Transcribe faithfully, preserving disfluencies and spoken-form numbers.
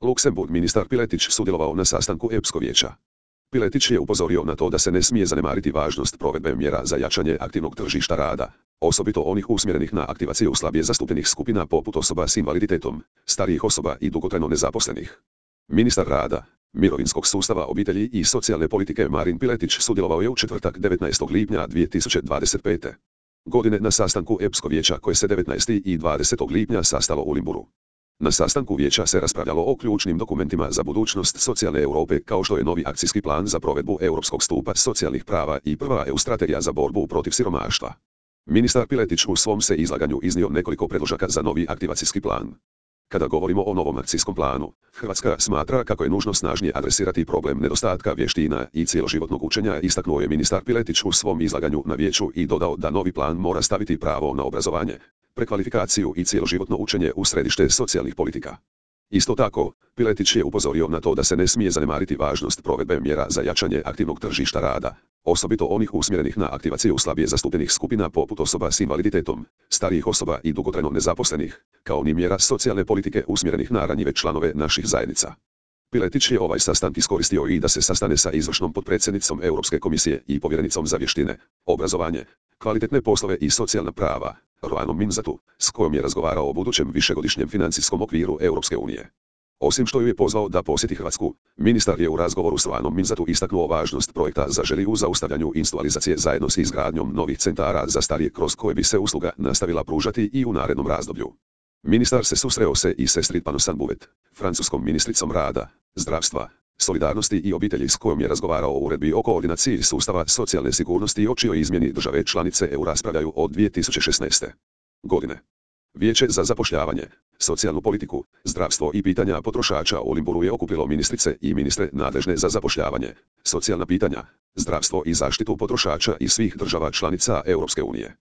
Luksemburg. Ministar Piletić sudjelovao na sastanku Epskog vijeća. Piletić je upozorio na to da se ne smije zanemariti važnost provedbe mjera za jačanje aktivnog tržišta rada, osobito onih usmjerenih na aktivaciju slabije zastupljenih skupina poput osoba s invaliditetom, starijih osoba i dugotrajno nezaposlenih. Ministar rada, mirovinskog sustava, obitelji i socijalne politike Marin Piletić sudjelovao je u četvrtak devetnaestog lipnja dvije tisuće dvadeset pete. godine na sastanku Epskog vijeća koje se devetnaestog i dvadesetog lipnja sastalo u Limburu. Na sastanku vijeća se raspravljalo o ključnim dokumentima za budućnost socijalne Europe kao što je novi akcijski plan za provedbu europskog stupa socijalnih prava i prva E U strategija za borbu protiv siromaštva. Ministar Piletić u svom se izlaganju iznio nekoliko predložaka za novi aktivacijski plan. Kada govorimo o novom akcijskom planu, Hrvatska smatra kako je nužno snažnije adresirati problem nedostatka vještina i cjeloživotnog učenja, istaknuo je ministar Piletić u svom izlaganju na vijeću i dodao da novi plan mora staviti pravo na obrazovanje, prekvalifikaciju i cjeloživotno učenje u središte socijalnih politika. Isto tako, Piletić je upozorio na to da se ne smije zanemariti važnost provedbe mjera za jačanje aktivnog tržišta rada, osobito onih usmjerenih na aktivaciju slabije zastupljenih skupina poput osoba s invaliditetom, starijih osoba i dugotrajno nezaposlenih, kao ni mjera socijalne politike usmjerenih na ranjive članove naših zajednica. Piletić je ovaj sastanak iskoristio i da se sastane sa izvršnom potpredsjednicom Europske komisije i povjerenicom za vještine, obrazovanje, kvalitetne poslove i socijalna prava, Roanom Minzatu, s kojom je razgovarao o budućem višegodišnjem financijskom okviru Europske unije. Osim što ju je pozvao da posjeti Hrvatsku, ministar je u razgovoru s Roanom Minzatu istaknuo važnost projekta Zaželi u zaustavljanju institucionalizacije zajedno s izgradnjom novih centara za starije kroz koje bi se usluga nastavila pružati i u narednom razdoblju. Ministar se susreo se i s Estrid Panosan-Bouvet, francuskom ministricom rada, zdravstva, solidarnosti i obitelji s kojom je razgovarao o uredbi o koordinaciji sustava socijalne sigurnosti o čijoj izmjeni države članice E U raspravljaju od dvije tisuće šesnaeste. godine. Vijeće za zapošljavanje, socijalnu politiku, zdravstvo i pitanja potrošača u Limburu je okupilo ministrice i ministre nadležne za zapošljavanje, socijalna pitanja, zdravstvo i zaštitu potrošača iz svih država članica Europske unije.